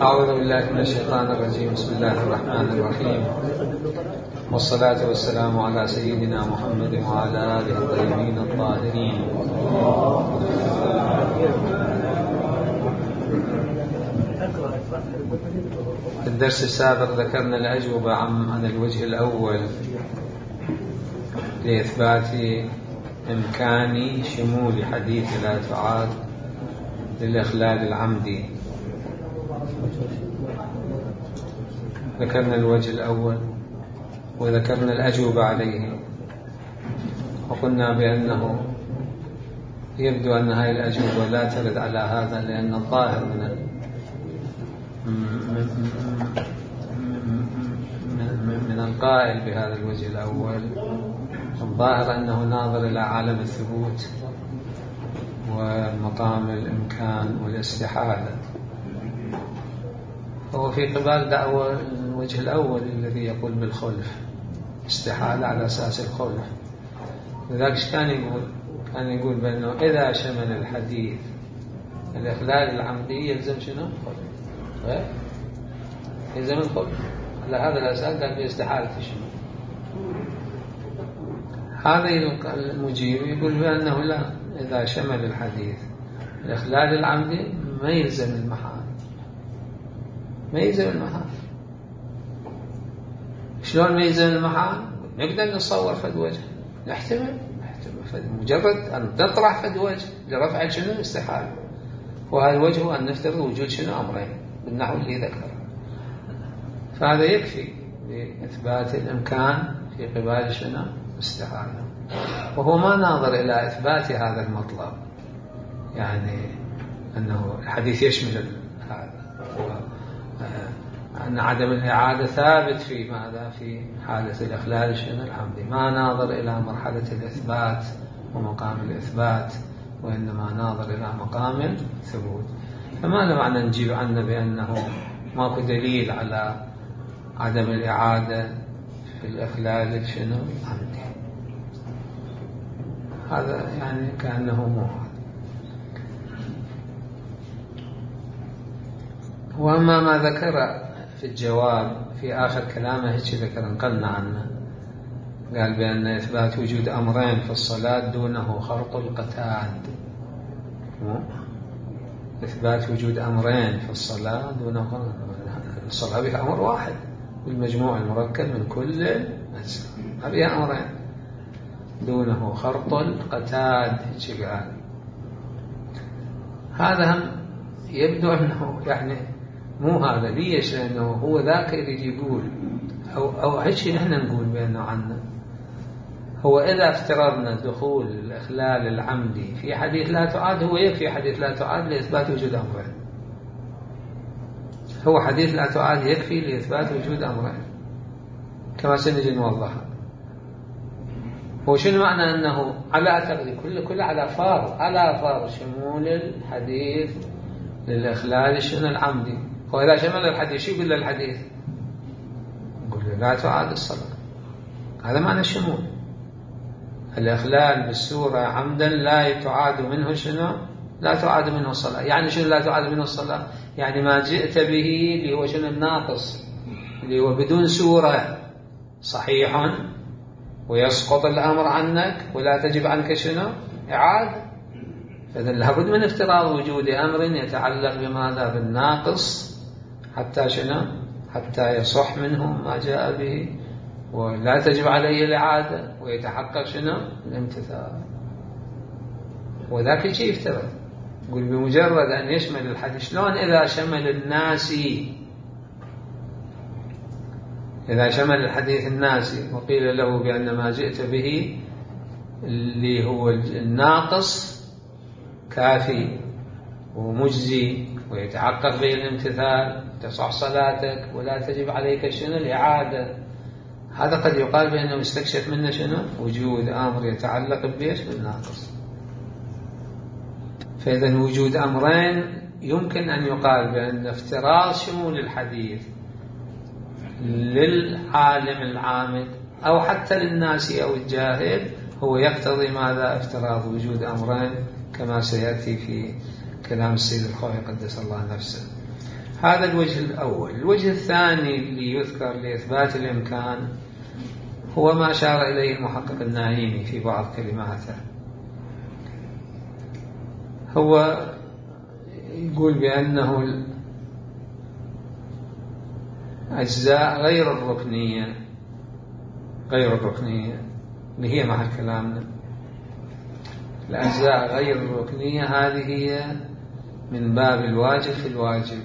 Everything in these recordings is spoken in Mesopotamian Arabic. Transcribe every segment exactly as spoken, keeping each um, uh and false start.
أعوذ بالله من الشيطان الرجيم. بسم الله الرحمن الرحيم، والصلاة والسلام على سيدنا محمد وعلى آله الطيبين الطاهرين. في الدرس السابق ذكرنا الأجوبة عن الوجه الأول لإثبات إمكان شمول حديث لا تعاد للإخلال العمدي. ذكرنا الوجه الأول وذكرنا الأجوبة عليه، وقلنا بأنه يبدو أن هذه الأجوبة لا ترد على هذا، لأن الظاهر من من القائل بهذا الوجه الأول الظاهر أنه ناظر إلى عالم الثبوت ومقام الإمكان والاستحالة. هو في قبال دعوة الوجه الأول الذي يقول بالخلف، استحالة على أساس الخلف. لذلك كان يقول كان يقول بأنه إذا شمل الحديث الإخلال العمدي يلزم شنو؟ خلف. يلزم الخلف. على هذا الأساس قال باستحالة الشمول. هذا المجيب يقول بأنه لا، إذا شمل الحديث الإخلال العمدي ما يلزم المحال، ما يلزم المحال. شلون ما يلزم المحال؟ نقدر نصور فد وجه، نحتمل نحتمل مجرد أن تطرح فد وجه لرفع شنو؟ استحالة. وهذا الوجه هو أن نفترض وجود شنو؟ أمرين بالنحو اللي ذكره. فهذا يكفي لإثبات الإمكان في قبال شنو؟ استحالة. وهو ما ناظر إلى إثبات هذا المطلب، يعني أنه الحديث يشمل هذا، أن عدم الإعادة ثابت في ماذا؟ في حالة الإخلال شنو؟ العمدي. ما ناظر إلى مرحلة الإثبات ومقام الإثبات، وإنما ناظر إلى مقام الثبوت. فما معنى نجيب عنه بأنه ماكو دليل على عدم الإعادة في الإخلال شنو؟ العمدي. هذا يعني كأنه مو. وأما ما ذكر في الجواب في آخر كلامه هيك ذكر نقلنا عنه، قال بأن إثبات وجود أمرين في الصلاة دونه خرط القتاد. إثبات وجود أمرين في الصلاة دونه خرط الصلاة بها أمر واحد بالمجموع المركب من كل أجزاء، هذه أمرين دونه خرط القتاد. هيك قال. هذا هم يبدو أنه يعني مو هذا. ليش؟ لأنه هو ذاك اللي يقول أو أو هيك نحن نقول بأنه عنه. هو إذا افترضنا دخول الإخلال العمدي في حديث لا تعاد، هو يكفي حديث لا تعاد لإثبات وجود أمرين. هو حديث لا تعاد يكفي لإثبات وجود أمرين كما سنجي نوضحها. هو شنو معنى أنه على تقدير كل كل على فار على فار شمول الحديث للإخلال شنو؟ العمدي. هو إذا شمل الحديث شو يقول للحديث؟ يقول له لا تعاد الصلاة. هذا معنى الشمول. الإخلال بالسورة عمدا لا تعاد منه شنو؟ لا تعاد منه الصلاة. يعني شنو لا تعاد منه الصلاة؟ يعني ما جئت به اللي هو شنو؟ الناقص، اللي هو بدون سورة صحيح ويسقط الأمر عنك ولا تجب عنك شنو؟ إعادة. فإذا لابد من افتراض وجود أمر يتعلق بماذا؟ بالناقص، حتى شنو؟ حتى يصح منه ما جاء به ولا تجب عليه الإعادة ويتحقق شنو؟ الامتثال. وذاك شيء يفترض. يقول بمجرد أن يشمل الحديث. شلون إذا شمل الناسي؟ إذا شمل الحديث الناسي وقيل له بأن ما جئت به اللي هو الناقص كافي ومجزي ويتحقق به الامتثال، تصح صلاتك ولا تجب عليك شنو؟ الإعادة. هذا قد يقال بأنه يستكشف منه شنو؟ وجود أمر يتعلق بإيش؟ بالناقص. فإذا وجود أمرين يمكن أن يقال بأن افتراض شمول الحديث للعالم العامد أو حتى للناس أو الجاهل هو يقتضي ماذا؟ افتراض وجود أمرين كما سيأتي في كلام السيد الخوئي قدس الله نفسه. هذا الوجه الأول. الوجه الثاني اللي يذكر لإثبات الإمكان هو ما أشار إليه المحقق النايمي في بعض كلماته. هو يقول بأنه الأجزاء غير الركنية غير الركنية اللي هي محل كلامنا، الأجزاء غير الركنية هذه هي من باب الواجب في الواجب،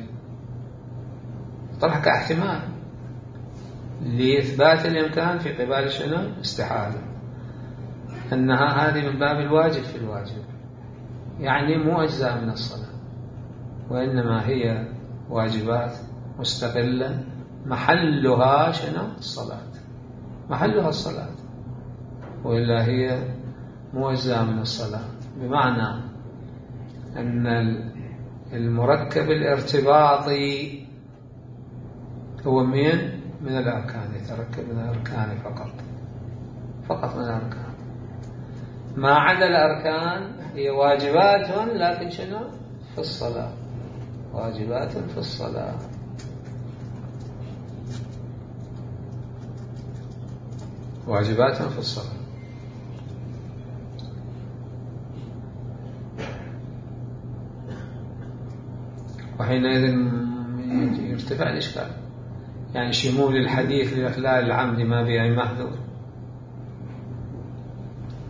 طرح كاحتمال لإثبات الإمكان في قبال شنو؟ استحالة، أنها هذه من باب الواجب في الواجب، يعني مو أجزاء من الصلاة وإنما هي واجبات مستقلة محلها شنو؟ الصلاة، محلها الصلاة، وإلا هي مو أجزاء من الصلاة. بمعنى أن المركب الارتباطي هو من من الأركان، يتركب من الأركان فقط فقط من الأركان، ما عدا الأركان هي واجبات لكن شنو؟ في الصلاة، واجبات في الصلاة. واجبات في الصلاة. وحينئذ يرتفع الإشكال، يعني شمول الحديث لإخلال العمد ما به أي محذور،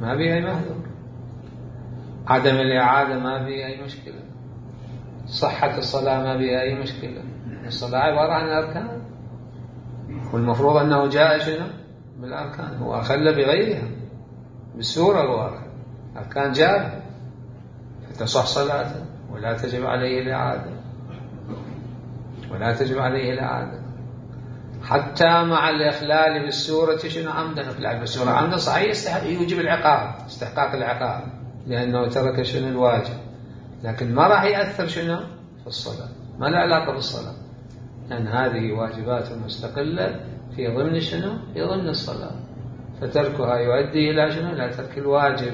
ما به أي محذور، عدم الإعادة ما به أي مشكلة، صحة الصلاة ما به أي مشكلة. الصلاة عبارة عن أركان، والمفروض أنه جاء شنو؟ بالأركان، هو أخل بغيرها بالسورة الواضحة، أركان جاء فتصح صلاته ولا تجب عليه الإعادة، ولا تجب عليه الإعادة حتى مع الإخلال بالسورة شنو؟ عمدا. إخلال بالسورة عمدا صحيح يوجب العقاب، استحقاق العقاب لأنه ترك شنو؟ الواجب، لكن ما راح يأثر شنو؟ في الصلاة، ما له علاقة بالصلاة، لأن هذه واجبات مستقلة في ضمن شنو؟ في ضمن الصلاة، فتركها يؤدي إلى شنو؟ إلى ترك الواجب.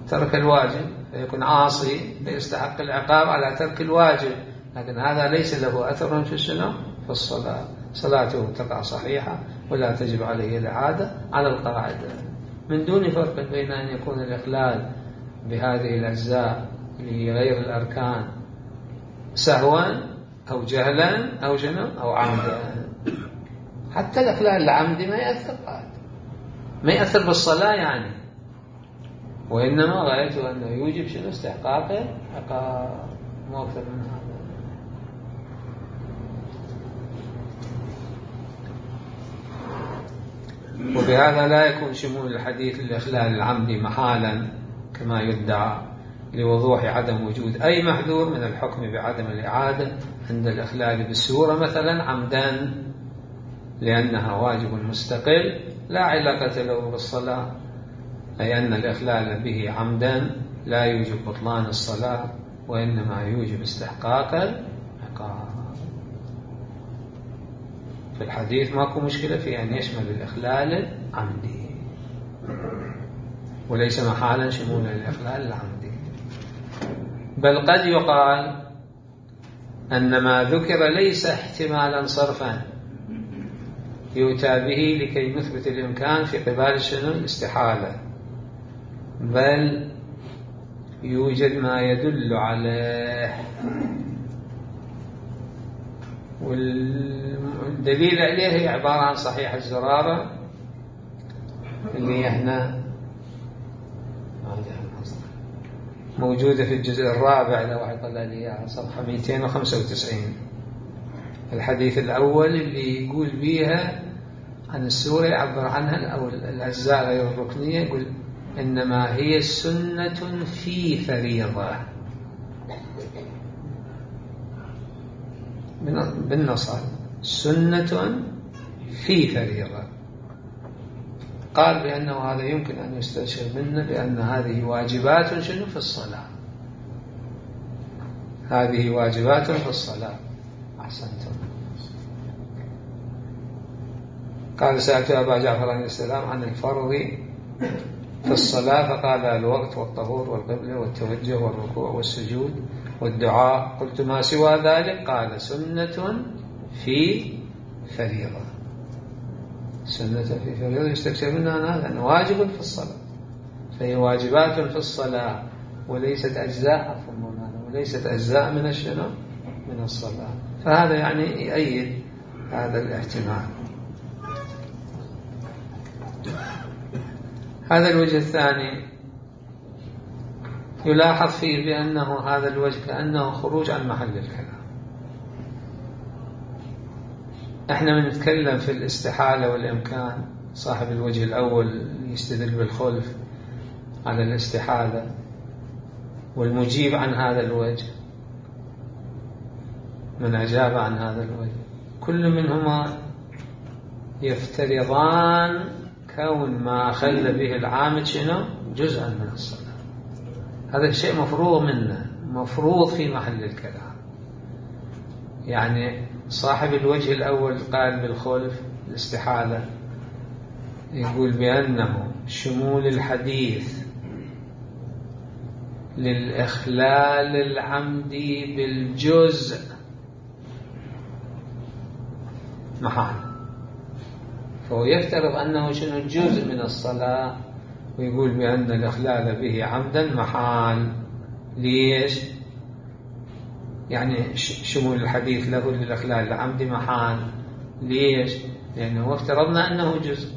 ترك الواجب فيكون عاصي فيستحق العقاب على ترك الواجب، لكن هذا ليس له أثر في شنو؟ في الصلاة، صلاته تقع صحيحة ولا تجب عليه الإعادة على القاعدة، من دون فرق بين أن يكون الإخلال بهذه الأجزاء اللي هي غير الأركان سهوا أو جهلا أو شنو؟ أو عمدا. حتى الإخلال العمدي ما يأثر بعد، ما يأثر بالصلاة يعني، وإنما غايته أنه يوجب شنو؟ استحقاقه عقاب، مو أكثر من هذا. وبهذا لا يكون شمول الحديث للإخلال العمدي محالا كما يدعى لوضوح عدم وجود أي محذور من الحكم بعدم الإعادة عند الإخلال بالسورة مثلا عمدا، لأنها واجب مستقل لا علاقة له بالصلاة، أي أن الإخلال به عمدا لا يوجب بطلان الصلاة وإنما يوجب استحقاق العقاب. في الحديث ماكو مشكلة في أن يشمل الإخلال العمدي، وليس محالا شمول الإخلال العمدي، بل قد يقال أن ما ذكر ليس احتمالا صرفا يؤتى به لكي نثبت الإمكان في قبال شنو؟ الاستحالة، بل يوجد ما يدل عليه، والدليل عليه هي عبارة عن صحيح الزرارة اللي احنا موجودة في الجزء الرابع لو واحد طلع لي صفحة مئتين وخمسة وتسعين. الحديث الأول اللي يقول بيها عن السورة يعبر عنها أو الأجزاء غير الركنية، يقول إنما هي سنة في فريضة بالنص، سنة في فريضة. قال بأنه هذا يمكن أن يستشير منه بأن هذه واجبات شنو؟ في الصلاة، هذه واجبات في الصلاة. أحسنتم. قال سألت أبا جعفر عليه السلام عن الفرض في الصلاة فقال الوقت والطهور والقبلة والتوجه والركوع والسجود والدعاء. قلت ما سوى ذلك؟ قال سنة في فريضة. سنة في فريضة يستكثر منها هذا أنه واجب في الصلاة، فهي واجبات في الصلاة وليست أجزاء وليست أجزاء من الشنو من الصلاة. فهذا يعني يؤيد هذا الاحتمال. هذا الوجه الثاني يلاحظ فيه بأنه هذا الوجه كأنه خروج عن محل الكلام. احنا بنتكلم في الاستحالة والإمكان. صاحب الوجه الأول يستدل بالخلف على الاستحالة، والمجيب عن هذا الوجه من أجاب عن هذا الوجه كل منهما يفترضان كون ما خل به العامد شنو جزءا من الصلاة. هذا الشيء مفروض منه، مفروض في محل الكلام. يعني صاحب الوجه الأول قال بالخلف الاستحالة، يقول بأنه شمول الحديث للإخلال العمدي بالجزء محال، فهو يفترض أنه شنو جزء من الصلاة، ويقول بأن الإخلال به عمدا محال. ليش؟ يعني شمول الحديث له للإخلال العمدي محال. ليش؟ لأنه افترضنا أنه جزء،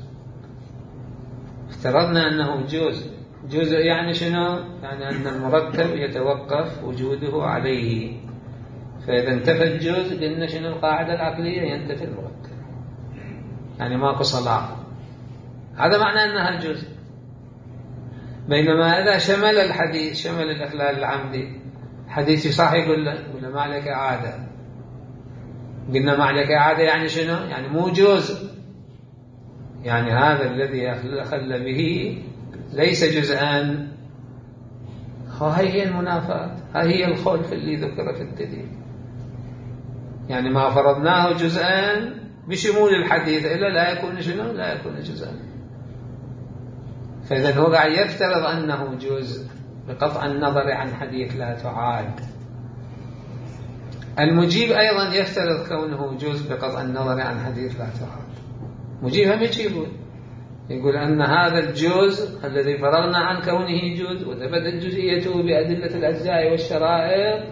افترضنا أنه جزء. جزء يعني شنو؟ يعني أن المركب يتوقف وجوده عليه، فإذا انتفى الجزء قلنا شنو القاعدة العقلية ينتفي المركب، يعني ماكو صلاة. هذا معنى أنها الجزء. بينما إذا شمل الحديث شمل الإخلال العمدي، حديث صح يقول له يقول له ما عليك إعادة. قلنا ما عليك إعادة يعني شنو؟ يعني مو جزء، يعني هذا الذي أخل به ليس جزءا. هاي هي المنافاة، هاي هي الخلف اللي ذكر في الدليل. يعني ما فرضناه جزءا بشمول الحديث إلا لا يكون شنو؟ لا يكون جزءا. فإذا هو قاعد يفترض أنه جزء بقطع النظر عن حديث لا تعاد. المجيب أيضا يفترض كونه جزء بقطع النظر عن حديث لا تعاد. مجيب هم يقول يقول أن هذا الجزء الذي فرغنا عن كونه جزء وثبتت جزئيته بأدلة الأجزاء والشرائط،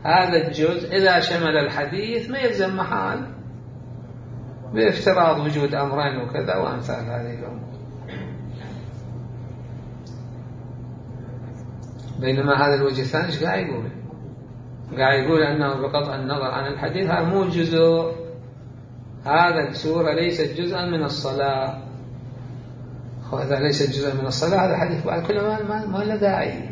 هذا الجزء إذا شمل الحديث ما يلزم محال بافتراض وجود أمرين وكذا وأمثال هذه الأمور. بينما هذا الوجه الثاني ايش قاعد يقول؟ قاعد يقول أنه بقطع النظر عن الحديث هذا مو جزء، هذا السورة ليست جزءا من الصلاة. هذا ليست جزءا من الصلاة، هذا الحديث بعد كله ما, ما, ما له داعي،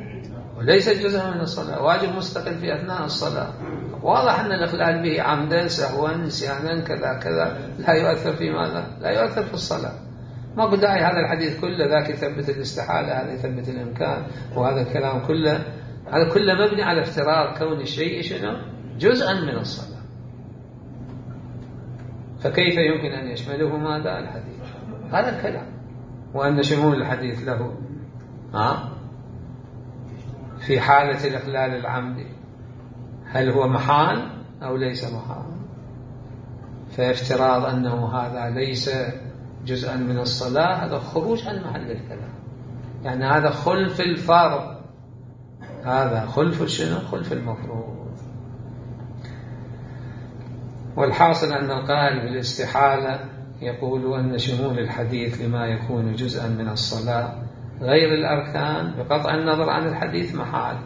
وليست جزءا من الصلاة، واجب مستقل في أثناء الصلاة. واضح أن الإخلال به عمدا سهوا نسيانا كذا كذا لا يؤثر في ماذا؟ لا يؤثر في الصلاة. ما قد داعي هذا الحديث كله، ذاك يثبت الاستحالة، هذا يثبت الإمكان، وهذا الكلام كله هذا كله مبني على افتراض كون الشيء شنو جزءا من الصلاة. فكيف يمكن أن يشمله ماذا الحديث؟ هذا الكلام. وأن شمول الحديث له ها في حالة الإخلال العمدي هل هو محال أو ليس محال؟ فافتراض أنه هذا ليس جزءا من الصلاة هذا خروج عن محل الكلام، يعني هذا خلف الفرض، هذا خلف شنو؟ خلف المفروض. والحاصل أن القائل بالاستحالة يقول أن شمول الحديث لما يكون جزءا من الصلاة غير الأركان بقطع النظر عن الحديث محال،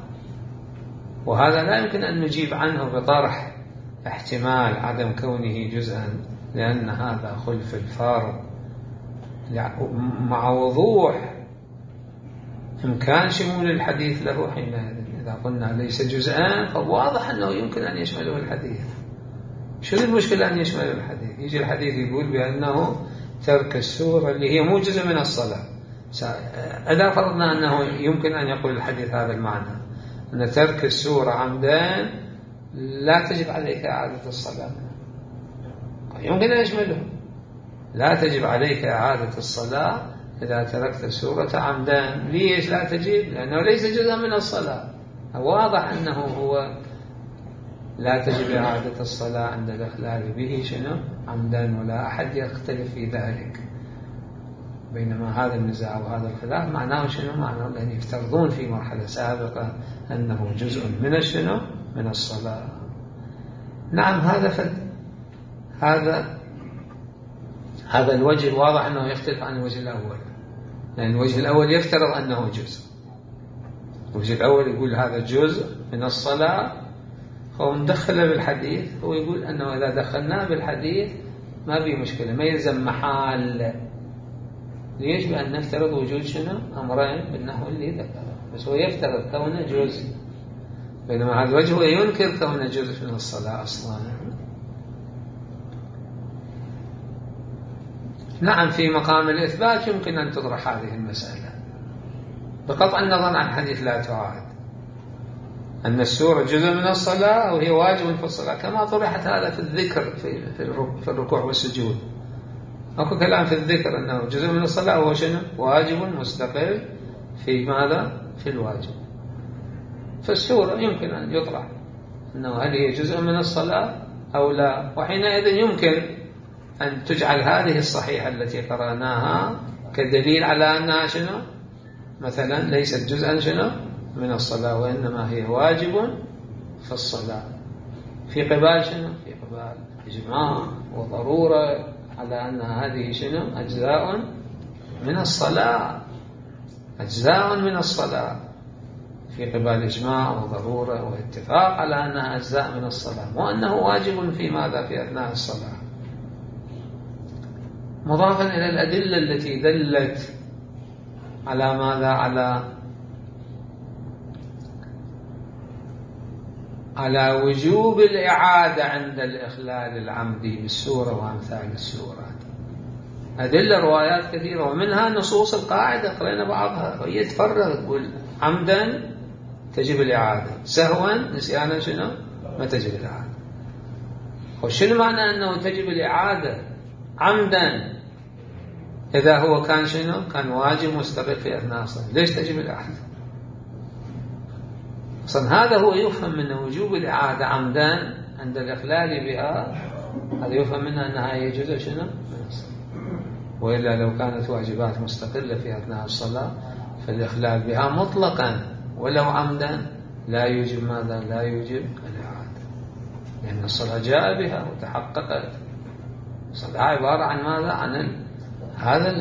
وهذا لا يمكن أن نجيب عنه بطرح احتمال عدم كونه جزءا، لأن هذا خلف الفرض مع وضوح إمكان شمول الحديث له حينئذ. إذا قلنا ليس جزءا فواضح أنه يمكن أن يشمله الحديث. شو المشكلة أن يشمل الحديث؟ يجي الحديث يقول بأنه ترك السورة اللي هي مو جزء من الصلاة. إذا فرضنا أنه يمكن أن يقول الحديث هذا المعنى، أن ترك السورة عمدا لا تجب عليك إعادة الصلاة، يمكن أن يشمله لا تجب عليك إعادة الصلاة إذا تركت السورة عمدا ليش لا تجب؟ لأنه ليس جزءا من الصلاة. واضح أنه هو لا تجب إعادة الصلاة عند الإخلال به شنو عمدا، ولا أحد يختلف في ذلك. بينما هذا النزاع وهذا الخلاف معناه شنو؟ معناه أن يفترضون في مرحلة سابقة أنه جزء من شنو من الصلاة. نعم هذا فد هذا هذا الوجه واضح أنه يختلف عن الوجه الأول، لأن الوجه الأول يفترض أنه جزء، الوجه الأول يقول هذا جزء من الصلاة، هو مدخله بالحديث، هو يقول أنه إذا دخلناه بالحديث ما في مشكلة، ما يلزم محال. ليش؟ بأن نفترض وجود شنو أمرين بالنحو اللي ذكره، بس هو يفترض كونه جزء، بينما هذا الوجه هو ينكر كونه جزء من الصلاة أصلا. نعم في مقام الإثبات يمكن أن تطرح هذه المسألة بقطع النظر عن حديث لا تعاد، أن السورة جزء من الصلاة وهي واجب في الصلاة، كما طرحت هذا في الذكر في في الركوع والسجود. أكو كلام في الذكر أنه جزء من الصلاة وهو شنو واجب مستقل في ماذا في الواجب. فالسورة يمكن أن يطرح أنه هل هي جزء من الصلاة أو لا، وحينئذ يمكن أن تجعل هذه الصحيحة التي قرأناها كدليل على أنها شنو مثلا ليست جزءا شنو من الصلاة، وإنما هي واجب في الصلاة، في قبال شنو في قبال إجماع وضرورة على أن هذه شنو أجزاء من الصلاة، أجزاء من الصلاة في قبال إجماع وضرورة واتفاق على أنها أجزاء من الصلاة، مو أنه واجب في ماذا في أثناء الصلاة. مضافا إلى الأدلة التي دلت على ماذا على على وجوب الإعادة عند الإخلال العمدي بالسورة وأمثال السورات، أدلة روايات كثيرة، ومنها نصوص القاعدة قرأنا بعضها، وهي تفرق تقول عمدا تجب الإعادة، سهوا نسيانا شنو ما تجب الإعادة. وشنو معنى أنه تجب الإعادة عمدا إذا هو كان شنو كان واجب مستقل في أثناء الصلاة؟ ليش تجب الإعادة؟ أصلا هذا هو يفهم من وجوب الإعادة عمدا عند الإخلال بها، هذا يفهم منها أنها هي جزء شنو من الصلاة، وإلا لو كانت واجبات مستقلة في أثناء الصلاة فالإخلال بها مطلقا ولو عمدا لا يوجب ماذا لا يوجب الإعادة، لأن الصلاة جاء بها وتحققت. الصلاة عبارة عن ماذا عن ال... هذا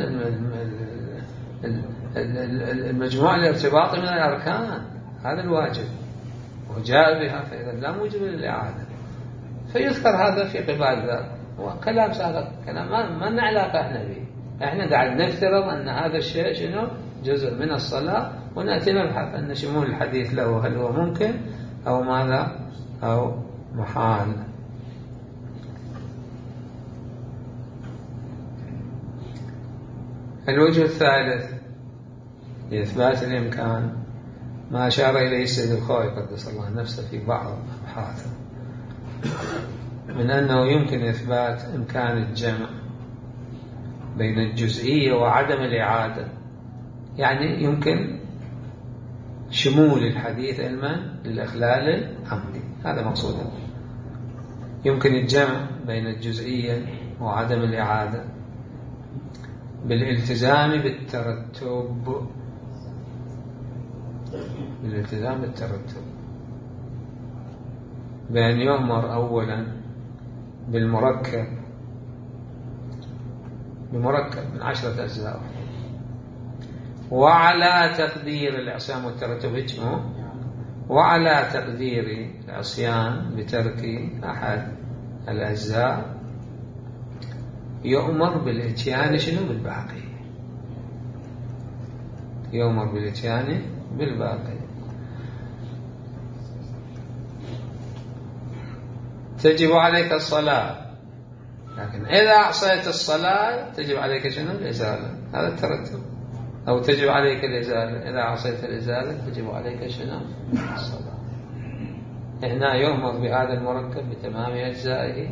المجموع الارتباطي من الأركان، هذا الواجب وجاء بها، فإذا لا موجب للإعادة. فيذكر هذا في قبال ذا، وكلام سابق كلام ما, ما لنا علاقة احنا به، احنا قاعد نفترض أن هذا الشيء شنو جزء من الصلاة، ونأتي نبحث أن شمول الحديث له هل هو ممكن أو ماذا أو محال. الوجه الثالث لإثبات الإمكان ما أشار إليه السيد الخوئي قدس الله نفسه في بعض أبحاثه من أنه يمكن إثبات إمكان الجمع بين الجزئية وعدم الإعادة، يعني يمكن شمول الحديث علما للإخلال العمدي، هذا مقصوده. يمكن الجمع بين الجزئية وعدم الإعادة بالالتزام بالترتب، بالالتزام بالترتب بأن يؤمر أولا بالمركب بمركب من عشرة أجزاء، وعلى تقدير العصيان والترتب هجمه، وعلى تقدير العصيان بترك أحد الأجزاء يؤمر بالإتيان شنو بالباقي، يؤمر بالإتيان بالباقي. تجب عليك الصلاة، لكن إذا أعصيت الصلاة تجب عليك شنو الإزالة، هذا الترتب. أو تجب عليك الإزالة، إذا عصيت الإزالة تجب عليك شنو الصلاة. هنا يؤمر بهذا المركب بتمام أجزائه،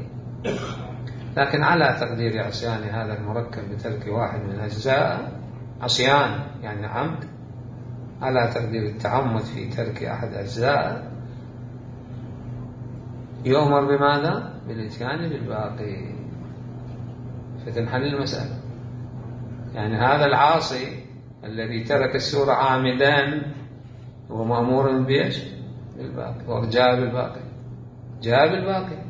لكن على تقدير عصيان هذا المركب بترك واحد من أجزاء عصيان يعني عمد، على تقدير التعمد في ترك أحد أجزاء، يؤمر بماذا؟ بالإتيان بالباقي، فتنحل المسألة. يعني هذا العاصي الذي ترك السورة عامدا هو مأمور بإيش؟ بالباقي، وجاء بالباقي، جاء بالباقي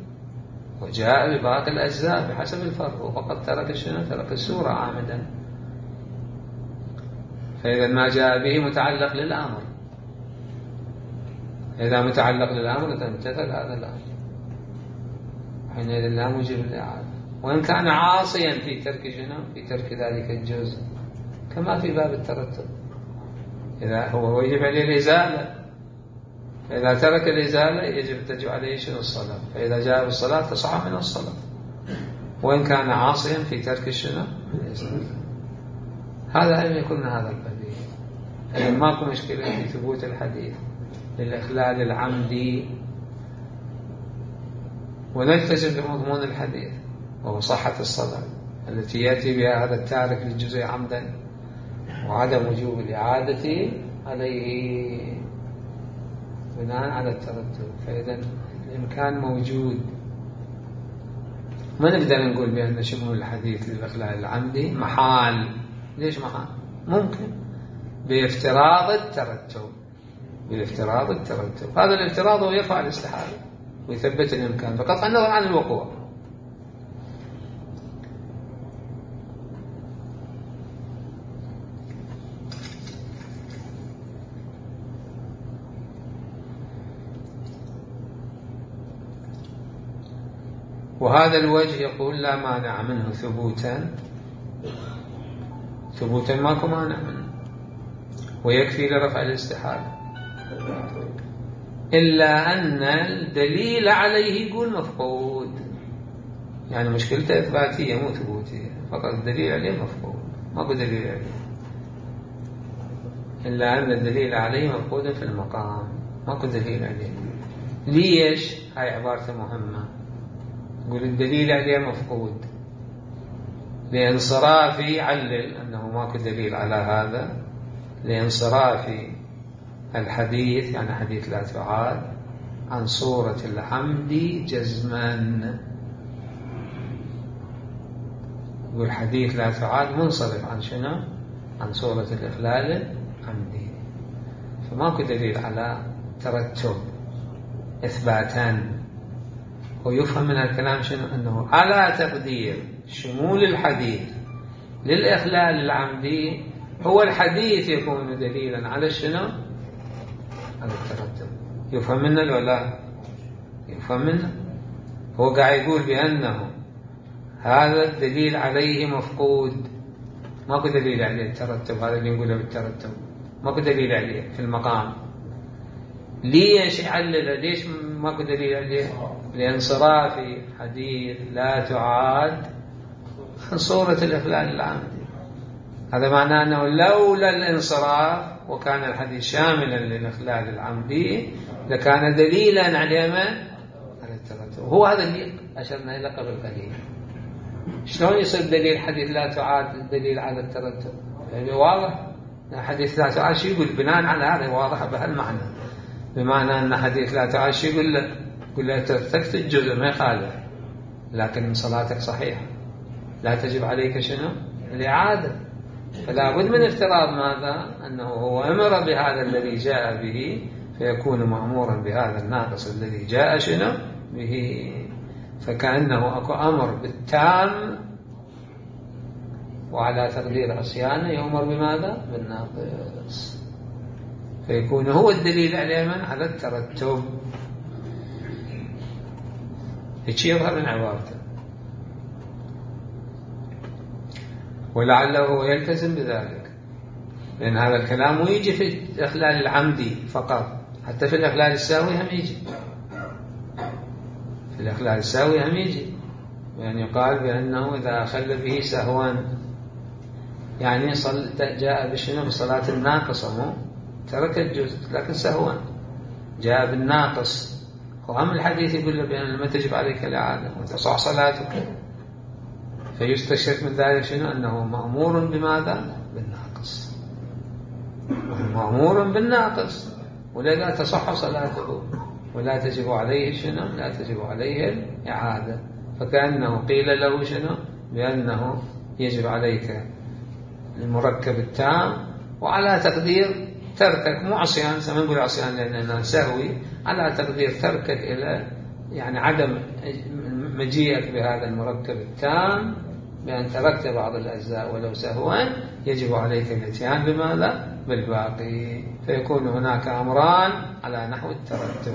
وجاء بباقي الأجزاء بحسب الفرق، وفقط ترك شنو؟ ترك السورة عامدا. فإذا ما جاء به متعلق للأمر، إذا متعلق للأمر تمتثل هذا الأمر، حينئذ لا موجب الإعادة، وإن كان عاصيا في ترك شنو؟ في ترك ذلك الجزء، كما في باب الترتب، إذا هو يجب عليه الإزالة، فإذا ترك الإزالة يجب تجب عليه شنو؟ الصلاة، فإذا جاء بالصلاة تصح من الصلاة، وإن كان عاصيا في ترك شنو؟ الإزالة. هذا أن يكون هذا البديل. يعني ماكو مشكلة في ثبوت الحديث للإخلال العمدي، ونلتزم بمضمون الحديث وهو صحة الصلاة التي يأتي بها هذا التارك للجزء عمدا، وعدم وجوب الإعادة عليه بناء على الترتب. فإذا الإمكان موجود، ما نقدر نقول بأن شمول الحديث للإخلال العمدي محال. ليش محال؟ ممكن بافتراض الترتب، بافتراض الترتب. هذا الافتراض هو يرفع الاستحالة ويثبت الإمكان بقطع النظر عن الوقوع. وهذا الوجه يقول لا مانع منه ثبوتا، ثبوتا ماكو مانع منه، ويكفي لرفع الاستحالة، إلا أن الدليل عليه يقول مفقود. يعني مشكلته إثباتية مو ثبوتية، فقط الدليل عليه مفقود، ماكو دليل عليه، إلا أن الدليل عليه مفقود في المقام، ماكو دليل عليه. ليش؟ هاي عبارة مهمة. يقول الدليل عليه مفقود لانصراف، علل أنه ماكو دليل على هذا، لانصراف الحديث، يعني حديث لا تعاد، عن صورة العمد جزما. يقول حديث لا تعاد منصرف عن شنو؟ عن صورة الإخلال العمدي، فماكو دليل على ترتب إثباتا. ويفهم من الكلام شنو؟ أنه على تقدير شمول الحديث للإخلال العمدي هو الحديث يكون دليلا على شنو؟ على الترتب. يفهم منه ولا يفهم منه؟ هو قاعد يقول بأنه هذا الدليل عليه مفقود، ماكو دليل عليه الترتب، هذا اللي نقوله بالترتب ماكو دليل عليه في المقام. ليش يعلل؟ ليش ماكو دليل عليه؟ لانصراف حديث لا تعاد عن صورة الإخلال العمدي. هذا معناه أنه لولا الانصراف وكان الحديث شاملا للإخلال العمدي لكان دليلا على ما؟ على الترتب. هو هذا اللي أشرنا إلى قبل قليل. شلون يصير دليل حديث لا تعاد الدليل على الترتب؟ يعني واضح حديث لا تعاد شو يقول؟ بناء على هذا واضح بهالمعنى، بمعنى أن حديث لا تعاد شو يقول له؟ يقول له تركت الجزء ما يخالف، لكن صلاتك صحيحة، لا تجب عليك شنو؟ الإعادة. فلا بد من افتراض ماذا؟ أنه هو أمر بهذا الذي جاء به، فيكون مأمورا بهذا الناقص الذي جاء شنو؟ به. فكأنه أكو أمر بالتام، وعلى تقدير عصيانه يؤمر بماذا؟ بالناقص، فيكون هو الدليل عليه من؟ على الترتب. هيك يظهر من عبارته، ولعله يلتزم بذلك، لأن هذا الكلام يجي في الإخلال العمدي فقط، حتى في الإخلال الساوي هم يجي، في الإخلال الساوي هم يجي، يعني يقال بأنه إذا أخل به سهوا، يعني صل جاء بشنو؟ بصلاة الناقصة، مو ترك الجزء لكن سهوا جاء بالناقص، وهم الحديث يقول له بأن ما تجب عليك الإعادة وتصح صلاتك، فيستشرف من ذلك شنو؟ أنه مأمور بماذا؟ بالناقص. مأمور بالناقص، ولذا تصح صلاته ولا تجب عليه شنو؟ لا تجب عليه الإعادة. فكأنه قيل له شنو؟ بأنه يجب عليك المركب التام، وعلى تقدير تركك، مو عصيان، سنقول عصيان لأننا سهوي، على تقدير تركك إلى يعني عدم مجيئك بهذا المركب التام، بأن تركت بعض الأجزاء ولو سهوا، يجب عليك الاتيان بماذا؟ بالباقي. فيكون هناك أمران على نحو الترتب،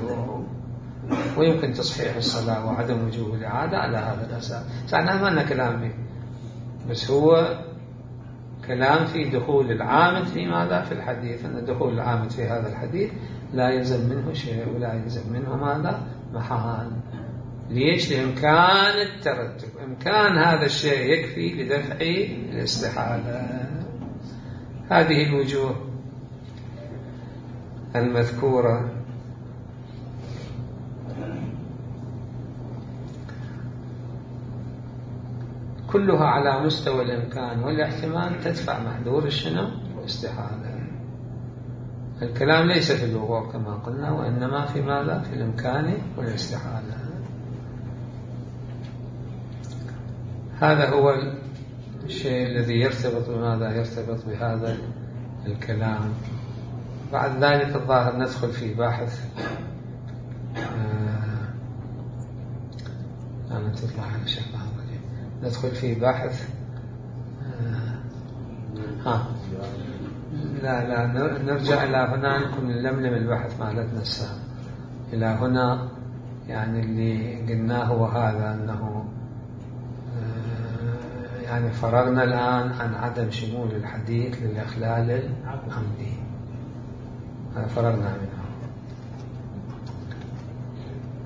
ويمكن تصحيح الصلاة وعدم وجوب الإعادة على هذا الأساس. سأعلم أن كلام به، بس هو كلام في دخول العامد في ماذا؟ في الحديث، أن دخول العامد في هذا الحديث لا يلزم منه شيء ولا يلزم منه ماذا؟ محال. ليش؟ لإمكان الترتب، إمكان هذا الشيء يكفي لدفع الاستحالة. هذه الوجوه المذكورة كلها على مستوى الإمكان والاحتمال تدفع محذور الشنو؟ الاستحالة. الكلام ليس في الوقوع كما قلنا، وإنما في ماذا؟ في الإمكان والاستحالة. هذا هو الشيء الذي يرتبط بماذا؟ يرتبط بهذا الكلام. بعد ذلك الظاهر ندخل في باحث آه أنا تطلع على شكل ندخل في باحث آه ها لا لا نرجع إلى هنا، نكون نلملم البحث مالتنا السابق إلى هنا. يعني اللي قلناه هو هذا، أنه آه يعني فرغنا الآن عن عدم شمول الحديث للإخلال العمدي، هذا فرغنا منه.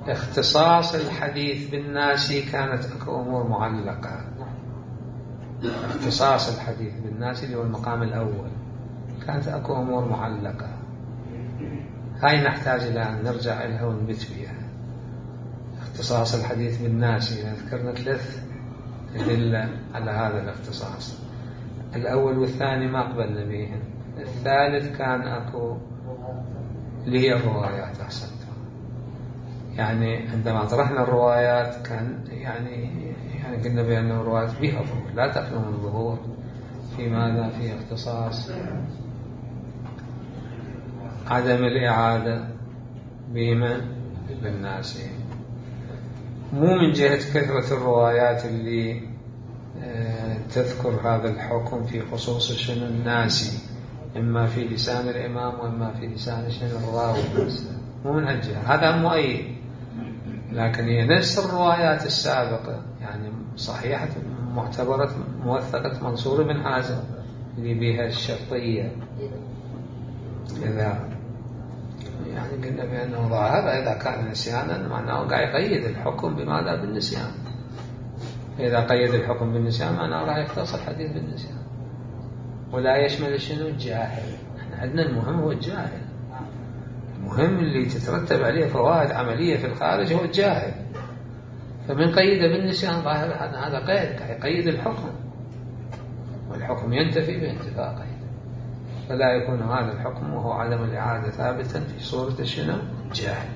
اختصاص الحديث بالناسي كانت اكو امور معلقه. اختصاص الحديث بالناسي اللي هو المقام الاول كانت اكو امور معلقه، هاي نحتاج الى ان نرجع لها ونبت بها. اختصاص الحديث بالناسي ذكرنا ثلاث ادله على هذا الاختصاص، الاول والثاني ما قبلنا بهم، الثالث كان اكو اللي هي الروايات. احسنت، يعني عندما طرحنا الروايات كان يعني يعني قلنا بأن الروايات بها ظهور، لا تخلو من ظهور في ماذا؟ في اختصاص عدم الإعادة بما بالناس، مو من جهة كثرة الروايات اللي تذكر هذا الحكم في خصوص شنو الناسي، إما في لسان الإمام وإما في لسان شنو الراوي، مو من هالجهة، هذا مؤيد. لكن هي نفس الروايات السابقة، يعني صحيحة معتبرة موثقة منصور بن حازم اللي بها الشرطية، إذا يعني قلنا بأنه ظاهر إذا كان نسيانا معناه قاعد يقيد الحكم بماذا؟ بالنسيان. إذا قيد الحكم بالنسيان معناه راح يختص الحديث بالنسيان، ولا يشمل شنو؟ الجاهل. احنا عندنا المهم هو الجاهل، المهم اللي تترتب عليه فوائد عملية في الخارج هو الجاهل. فمن قيد بالنسيان ظاهر هذا قيد يقيد الحكم، والحكم ينتفي بانتفاء قيد، فلا يكون هذا الحكم وهو عدم الإعادة ثابتا في صورة شنو؟ جاهل.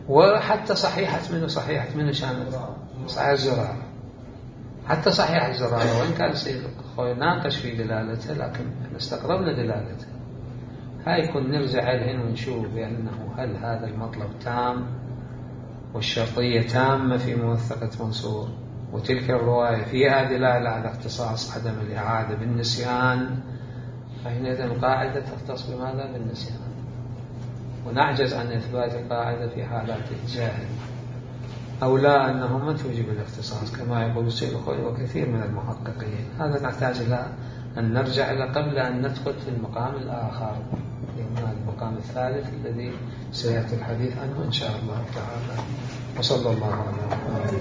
وحتى صحيحة منه صحيحة منه شامل صحيح الزرارة، حتى صحيح الزرارة وإن كان السيد الخوي ناقش في دلالته لكن استقربنا دلالته. هاي يكون نرجع لهن ونشوف بأنه هل هذا المطلب تام والشرطية تامة في موثقة منصور، وتلك الرواية فيها دلالة على اختصاص عدم الإعادة بالنسيان، فحينئذ القاعدة تختص بماذا؟ بالنسيان، ونعجز عن إثبات القاعدة في حالات الجاهل، أو لا أنه ما توجب الاختصاص كما يقول السيد الخوي وكثير من المحققين. هذا نحتاج إلى أن نرجع إلى قبل أن ندخل في المقام الآخر، المقام الثالث الذي سيأتي الحديث عنه إن شاء الله تعالى. وصلى الله على محمد.